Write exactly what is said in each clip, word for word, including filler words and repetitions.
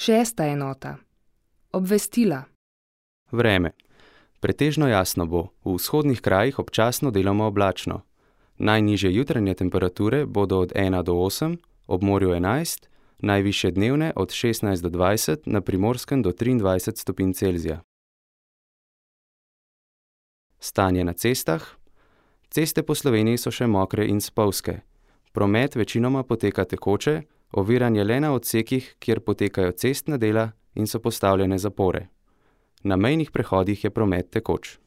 Šesta enota. Obvestila. Vreme. Pretežno jasno bo, v vzhodnih krajih občasno deloma oblačno. Najnižje jutranje temperature bodo od ena do osem, ob morju enajst, najvišje dnevne od šestnajst do dvajset, na Primorskem do triindvajset stopinj Celzija. Stanje na cestah. Ceste po Sloveniji so še mokre in spolzke. Promet večinoma poteka tekoče, oviran je le na odsekih, kjer potekajo cestna dela in so postavljene zapore. Na mejnih prehodih je promet tekoč.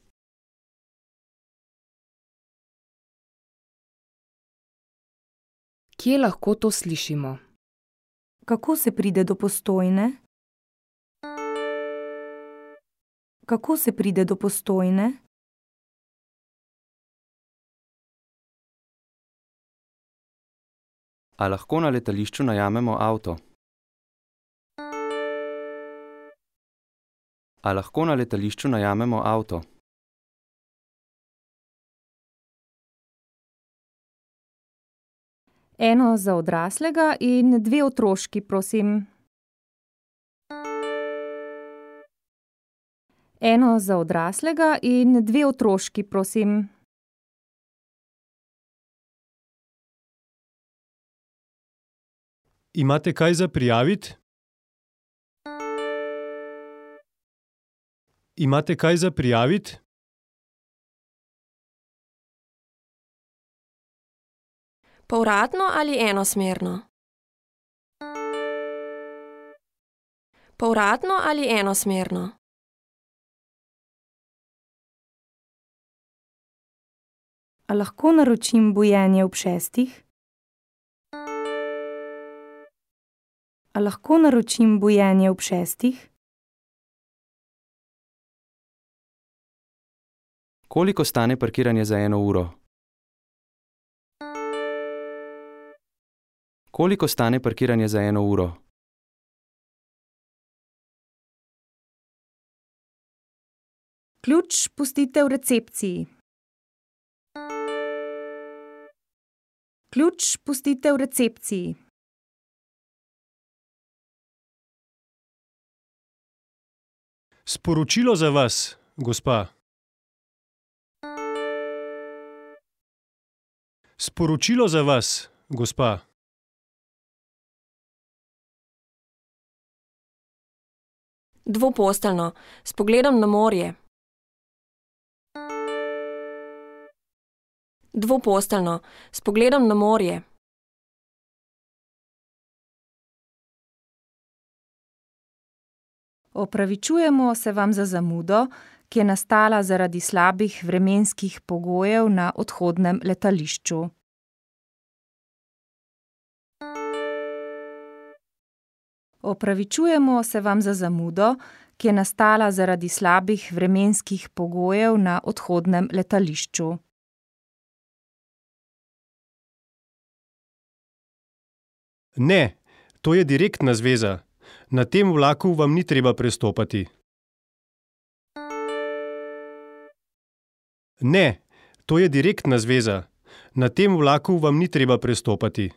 Kje lahko to slišimo? Kako se pride do Postojne? Kako se pride do Postojne? A lahko na letališču najamemo avto? A lahko na letališču najamemo avto? Eno za odraslega in dve otroški, prosim. Eno za odraslega in dve otroški, prosim. Imate kaj za prijaviti? Imate kaj za prijaviti? Povratno ali enosmerno? Povratno ali enosmerno? A lahko naročim bujenje ob šestih? A lahko naročim bujenje ob šestih? Koliko stane parkiranje za eno uro? Koliko stane parkiranje za eno uro? Ključ pustite v recepciji. Ključ pustite v recepciji. Sporočilo za vas, gospa. Sporočilo za vas, gospa. Dvoposteljno, s pogledom na morje. Dvoposteljno, s pogledom na morje. Opravičujemo se vam za zamudo, ki je nastala zaradi slabih vremenskih pogojev na odhodnem letališču. Opravičujemo se vam za zamudo, ki je nastala zaradi slabih vremenskih pogojev na odhodnem letališču. Ne, to je direktna zveza. Na tem vlaku vam ni treba prestopati. Ne, to je direktna zveza. Na tem vlaku vam ni treba prestopati.